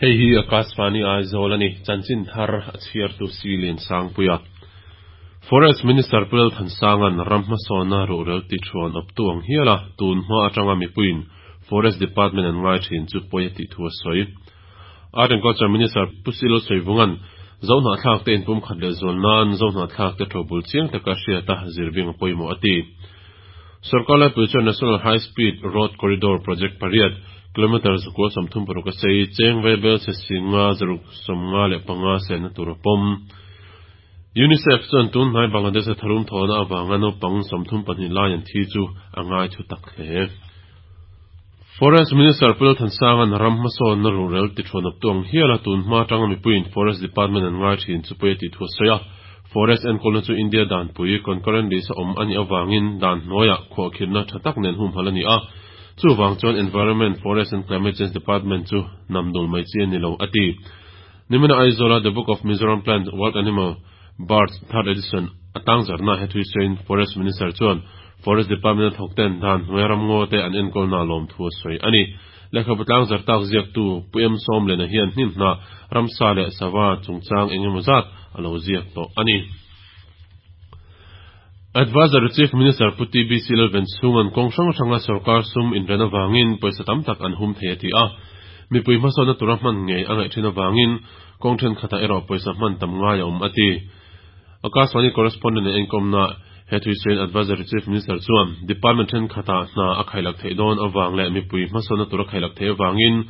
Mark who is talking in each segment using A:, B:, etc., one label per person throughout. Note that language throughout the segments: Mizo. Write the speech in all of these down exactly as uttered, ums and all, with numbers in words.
A: Hei hi Akashvani Aizawl a ni, chanchin thar a chhiartu Silian Sangpuia. Forest Minister Pu Lalthansanga'n ram hmasawnna ruhrel ti thuan awptu ang hial a, tun hma atanga mipuiin Forest Department an ngai thin chu pawi a tih thu a sawi. Art and Culture Minister Pu Silo Sawivunga'n Zohnahthlak te inpumkhat leh zual nan Zohnahthlak te tobul chiang taka hriata zirbing a pawimawh a ti. Sorkar laipui chuan National High Speed Road Corridor Project pariat, kilometre zakua sawmthum paruk a sei, cheng vaibel chhe singa zaruk sawmnga leh panga selna tur a pawm. UNICEF chuan tun hnai Bangladesh-a tharum thawhna avanga naupang sawmthum pahnih lai an thi chu a ngai thu tak hle. Forest Minister Pu Lalthansanga'n ram hmasawnna ruhrel ti thuan awptu ang hial a tun hma atanga mipuiin Forest Department an ngai thin chu pawi a tih thu a sawi a. Forest enkawlna chu India danpui, concurrent list a awm a nih avangin dan hnuaiah khuahkhirhna tha tak nen humhalh a ni a. Chuvang chuan Environment, Forest and Climate Change Department chu namdul mai chi a ni lo, a ti. Nimina Aizawla The Book of Mizoram Plant, Wild Animal, Birds, Third Edition a tangzarna he thui sawiin Forest Minister chuan Forest Department a thawk ten dan hnuaia ramngaw te an enkawlna a lawm thu a sawi a ni. Lehkhabu tlangzar tak ziaktu Pu Em Sawmlena hian hnim hnah, ramsa leh sava chungchang eng emaw zat a lo ziak tawh a ni. Advisory Chief Minister Pu T B C Lalvenchhunga'n kawng hrang hranga sorkar sum inren avangin pawisa tam tak an hum thei a ti a. Mipui hmasawnna tura hman ngei a ngaih thin avangin kawng thenkhatah erawh pawisa hman tam ngai a awm a ti. Akashvani correspondent in enkawmna he thuisawiin Advisory Chief Minister chuan department thenkhatah hna a khailak theih dawn avang leh mipui hmasawnna tura khailak theih avangin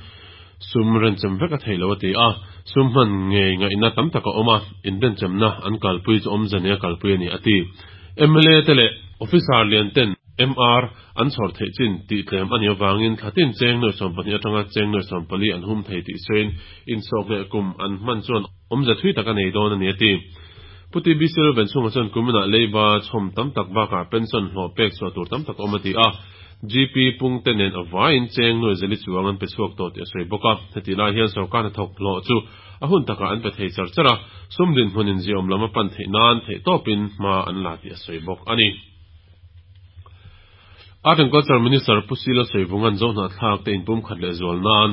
A: sum renchem vek a theih lo a ti a. Sum hman ngei ngaihna tam tak a awm a, inrenchemna an kalpui chu awmze nei a kalpui a ni a ti. M L A te leh officer lian ten M R an chhawr theih chin tih tlem a nih avangin thlatin cheng nuai sawm pahnih atanga cheng nuai sawm pali an hum thei tih sawiin insawk leh kum an hman chuan awmze thui tak a nei dawn a ni a ti. Pu T B C Lalvenchhunga chuan kuminah leiba chhawm tam tak bakah pension hlawh pek chhuah tur tam tak a awm a ti a. G P pung te nen avaiin cheng nuai zali chuang an pe chhuak tawh tih a sawi bawk a. Heti lai hian sorkar hnathawk hlawh chu a hun takah an pe thei char char a, sum dinhmunin ziaawm lam a pan theih nan theih tawpin hma an la tih a sawi bawk a ni. Art and Culture Minister Pu Sila Sawivunga'n Zohnahthlak te inpumkhat leh zual nan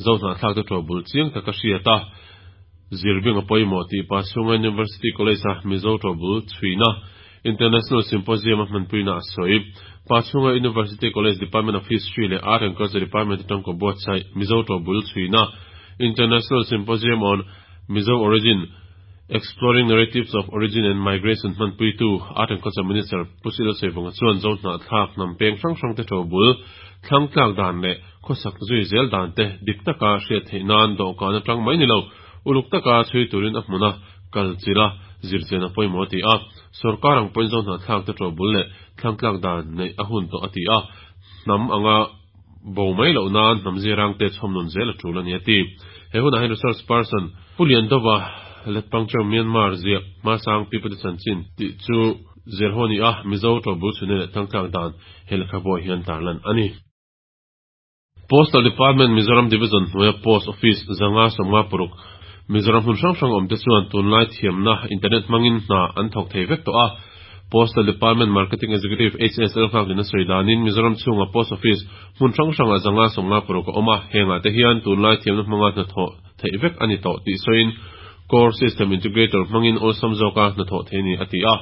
A: Zohnahthlak te tobul chiang taka hriata zirbing a pawimawh tih Pachhunga University College a Mizo tobul chhuina International Symposium a hmanpuina a sawi. Pachhunga University College Department of History leh Art and Culture Department atang ko buatsaih Mizo tobul chhuina International Symposium on Mizo Origin: Exploring Narratives of Origin and Migration hmanpuitu Art and Culture Minister Pu Sila Sawivunga chuan Zohnahthlak hnam peng hrang hrang te tobul thlangtlak dan leh khawsak zui zel dan te dik taka hriat theih nan dawhkan atang mai ni lo uluk taka chhui turin a hmuna kal chila zirchian a pawimawh a ti a. Sorkar ang pawhin Zohnahthlak te tobul leh thlangtlak dan neih a hun tawh a ti a. Hnam anga bo mai loh nan hnam zirang te chhawmnun zel a tul a ni a ti. He hunah hian resource person Pu Liandova Letpangcheu Myanmar ziak Hmasang Pipate Chanchin tih chu zir ho ni a, Mizo tobul chhune leh thlangtlak dan he lehkhabu hian tarlan a ni. Postal Department Mizoram Division hnuaia Post Office zanga sawmnga paruk Mizoram hmun hrang hrang awm te chuan tunlai thiamna internet hmangin hna an thawk thei vek tawh a. Postal Department Marketing Executive H S L Nghaklin a sawi danin Mizoram chhunga Post Office hmun hrang hranga zanga sawmnga paruk a awm a, hengah te hian tunlai thiamna hmanga hna thawh theih vek a ni tawh tih sawiin Core System Integrator hmangin awlsam zawka hna thawh thei ni a ti a.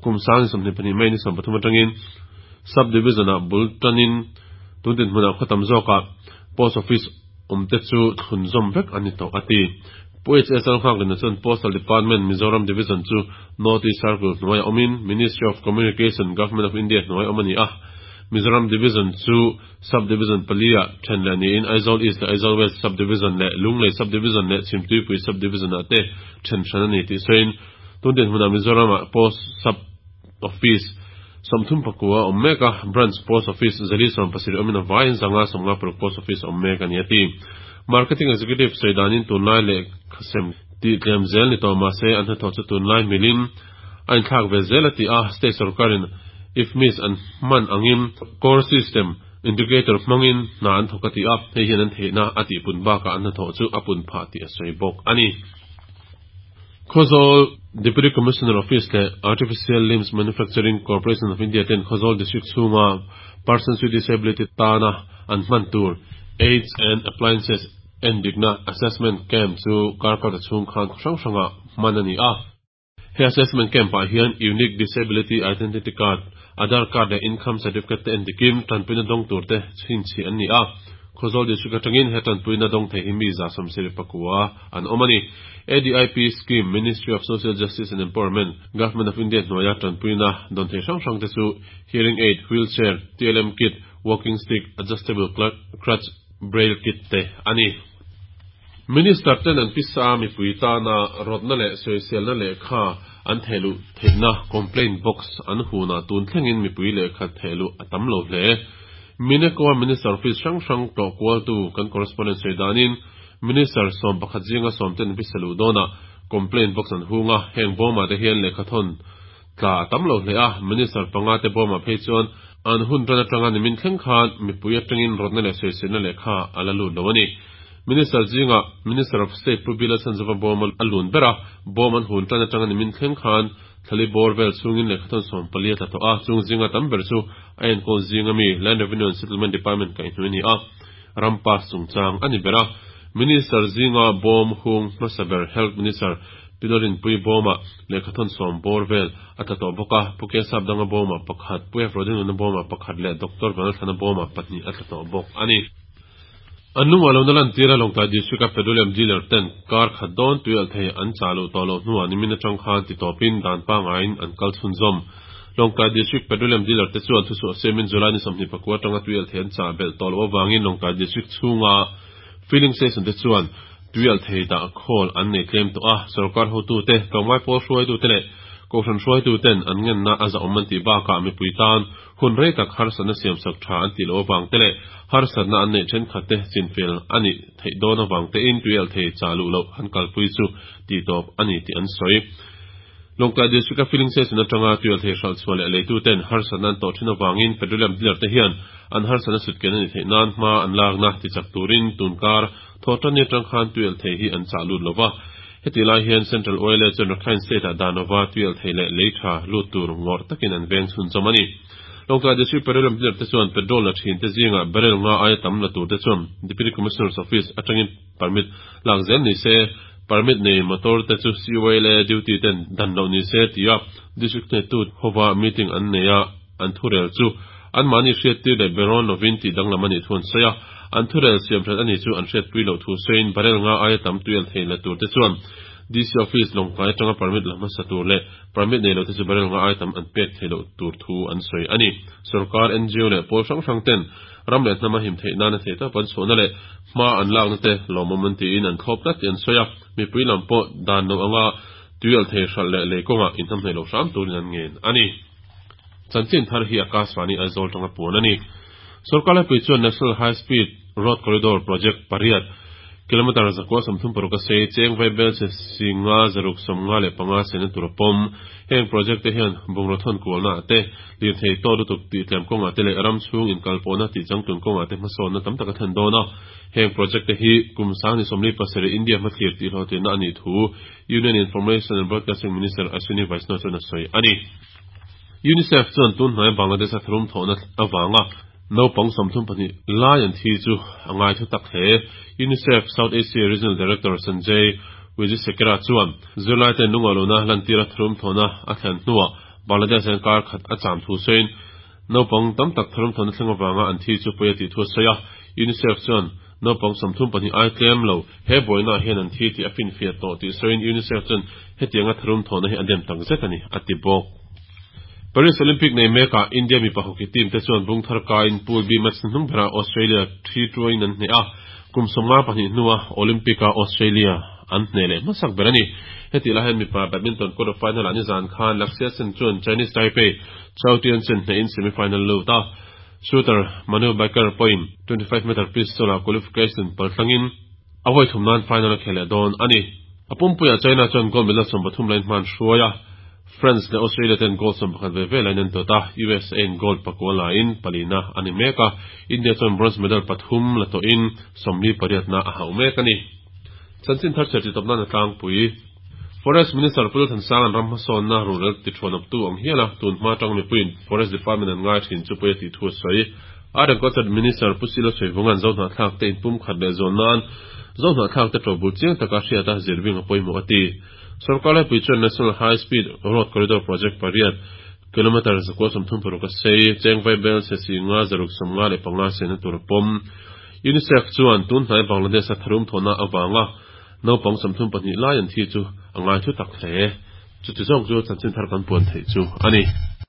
A: Kum sang sawmhnih pahnih mai ni sawm pathum atangin Sub Division ah bul tanin tun din hmunah khaw tam zawka Post Office awm te chu thlun zawm vek a ni tawh a ti. Pu H S L Nghaklin chuan Postal Department Mizoram Division chu North East Circle hnuai awmin Ministry of Communication, Government of India hnuai awm a ni a. Mizoram Division chu Sub Division palia then leh niin Aizawl East leh Aizawl West Sub Division leh Lunglei Sub Division leh Chhimtuipui Sub Division ah te then hran a ni tih sawiin tun din hmunah Mizoram ah Post Sub Office sawmthum pakua awm mek a, Branch Post Office zali sawm pasarih awmin a vaiin zanga sawmnga paruk Post Office awm mek a ni a ti. Marketing Executive sawi danin tunlai leh khasem tih tlem zel ni tawh mahse an hnathawh chu tunlai milin a inthlak ve zel a ti a. State sorkarin I F M I S an hman angin Core System Integrator hmangin hna an thawk a ti a, hei hian an theihna a tih pun bakah an hnathawh chu a pun phah tih a sawi bawk a ni. Khawzawl Deputy Commissioner Office leh Artificial Limbs Manufacturing Corporation of India ten Khawzawl District chhunga persons with disability tana an hman tur aids and appliances Endikna assessment camp chu kar kalta chhung khan khaw hrang hrangah hman a ni a. He assessment camp-ah hian Unique Disability Identity Card, Aadhaar Card leh Income Certificate te endikin tanpuina dawng tur te chhinchhiah an ni a. Khawzawl District atangin he tanpuina dawng thei hi mi za sawmsarih pakua an awm a ni. A D I P Scheme, Ministry of Social Justice and Empowerment, Government of India hnuaia tanpuina dawn thei hrang hrang te chu Hearing Aid, Wheelchair, T L M Kit, Walking Stick, Adjustable Crutch, Braille Kit te a ni. Minister ten an pisa mipui tana rawtna leh sawiselna lehkha an thehluh theihna complaint box an hunah tun thlengin mipui lehkha thehluh a tam lo hle. Mineco-a Minister office hrang hrang tlawh kualtu kan correspondent sawi danin Minister sawm pakhat zinga sawm ten pisa luh dawnah complaint box an hung a, heng bawmah te hian lehkha thawn tla a tam lo hle a, Minister panga te bawmah phei chuan an hun tan atanga nimin thleng khan mipui atangin rawtna leh sawiselna lehkha a la lut lo a ni. Minister zinga Minister of State Pu Bill Sanzova bawm a lun ber a, bawm an hun tan atanga nimin thleng khan thlali bawr vel chungin lehkha thawn sawm pali a tla tawh a, chung zinga tam ber chu a enkawl zinga mi Land Revenue and Settlement Department kaihhnawih a ni a, ram pass chungchang a ni ber a. Minister zinga bawm hung hmasa ber Health Minister Pi Lalrinpuii bawmah lehkha thawn sawm bawr vel a tla tawh bawk a, Pu Kesapdanga bawmah pakhat, Pu F Rodinuna bawmah pakhat leh Doctor Vanlalthlana bawmah pahnih a tla tawh bawk a ni. An lungah lo na lantira Lawngtlai District-a petroleum dealer ten kar khat dawn tuialhthei an chah loh tawh loh hnuah nimin atang khan titawpin dan pangaiin an kal chhunzawm. Lawngtlai District petroleum dealer te chuan thuchhuah siamin July ni sawmhnih pakua atanga tuialhthei an chah belh tawh loh avangin Lawngtlai District chhunga filling station te chuan tuialhthei dah khawl an nei tlem tawh a, sorkar hotute, tlawmngai pawl hruaitute leh kohhran hruaituten an ngenna a zahawm an tih bakah mipui tan hun rei tak harsatna siamsak tha an tih loh avang te leh harsatna an neih thenkhat te chinfel a nih theih dawn avang tein tuialhthei chah luh loh an kalpui chu tihtawp a ni tih an sawi. Lawngtlai District-a filling station atanga tuialhthei hralh chhuah leh leituten harsatna an tawh thin avangin petroleum dealer te hian an harsatna sutken a ni theih nan hma an lakna tichak turin tunkar thawhtanni atang khan tuialhthei hi an chah lut lova. Heti lai hian Central Oil chuan Rakhine State-ah danova tuialhthei leh lei tha lut tur ngawrh takin an veng chhunzawm a ni. Lawngtlai District petroleum dealer te chuan petrol la thin te zinga barrel nga aia tam la tur te chuan Deputy Commissioner's Office atangin permit lak zel ni se, permit nei motor te chu C O L A duty ten dan loh ni se tia district hnetu hova meeting an nei a an thurel chu an mahni hriattir leh berawn lovin tih danglam a nih thu an sawi a, an thurel siam that ani chu an hriatpui loh thu sawiin barrel nga aia tam tuialhthei la tur te chuan D C Office Lawngtlai atanga permit la hmasa tur leh permit nei lo te chu barrel nga aia tam an pek thei loh tur thu an sawi a ni. Sorkar, N G O leh pawl hrang hrang ten ram leh hnama him theih nana thei tawp an chhuahna leh hma an lakna te lawmawm an tiin an thlawp tlat tih an sawi a, mipui lam pawh dan lo anga tuialhthei hralh leh lei kawngah inhnamhnawih loh hram turin an ngen a ni. Chanchin thar hi Akashvani Aizawl tanga puan a ni. Sorkar laipui chuan National High Speed Road Corridor Project pariat, kilometer zakua sawmthum paruk a sei, cheng vaibelchhe singa zaruk sawmnga leh panga sena tur a pawm. Heng project te hian bungraw thawn kualna te, lirthei tawt lutuk tih tlem kawngah te leh ram chhung inkalpawhna tih changtlun kawngah te hmasawnna tam tak a thlen dawn a. Heng project te hi kum sang ni sawmli pasarih India hmathlir tih hlawhtlinna a nih thu Union Information and Broadcasting Minister Ashwini Vaishnaw chuan a sawi a ni. UNICEF chuan tun hnai Bangladesh a tharum thawhna avanga naupang sawmthum pahnih lai an thi chu a ngai thu tak hle. UNICEF South Asia Regional Director Sanjay Wijesekera chuan zirlai ten lungawih lohna lantira tharum thawhna a thlen hnuah Bangladesh an kar khat a cham thu sawiin naupang tam tak tharum thawhna thleng avanga an thi chu pawi a tih thu a sawi a. UNICEF chuan naupang sawmthum pahnih ai tlem lo he buaina hian an thi tih a finfiah tawh tih sawiin UNICEF chuan hetianga tharum thawhna hi a dem tak zet a ni a ti bawk. Paris Olympic nei mekah India mipa hockey team te chuan bung thar kaiin Pool B match hnung berah Australia three two in an hneh a, kum sawmnga pahnih hnuah Olympic-a Australia an hneh leh hmasak ber a ni. Heti lai hian mipa badminton quarter final ah nizan khan Lakshya Sen chuan Chinese Taipei Chou Tien-chen hnehin semi-final lut a. Shooter Manu Bhaker pawhin twenty-five meter pistol ah qualification palthlangin a vawi thum nan final a khel leh dawn a ni. A pumpuiah China chuan gold medal sawm pathum lain hman hruai a, France leh Australia ten gold sawm pakhat ve ve lain an tawt a, U S A in gold pakua lain palina a ni mek a, India chuan bronze medal pathum la tawhin sawmli pariatna a hauh mek a ni. Chanchin thar chher titawp nan a tlangpui. Forest Minister Pu Lalthansang an ram hmasawnna rural tithuanawptu ang hial a tun hma tang mipuiin Forest Department an ngai thin chu pawi a tih thu a sawi. Agriculture Minister Pu C Lalsawi Vunga'n Zohnahthlak te inpum khat leh zawn nan Zohnahthlak te ṭobul chiang taka hriat a zirbing a pawimawh a ti. Sorkar laipui chuan National High Speed Road Corridor Project pariat, kilometre zakua sawmthum paruk a sei, cheng vaibelchhe singa zaruk sawmnga leh panga sena tur a pawm. UNICEF chuan tun hnai Bangladesh a tharum thawhna avanga naupang sawmthum pahnih lai an thi chu a ngai thu tak hle. Chuti zawng chu chanchin thar kan puan theih chu a ni.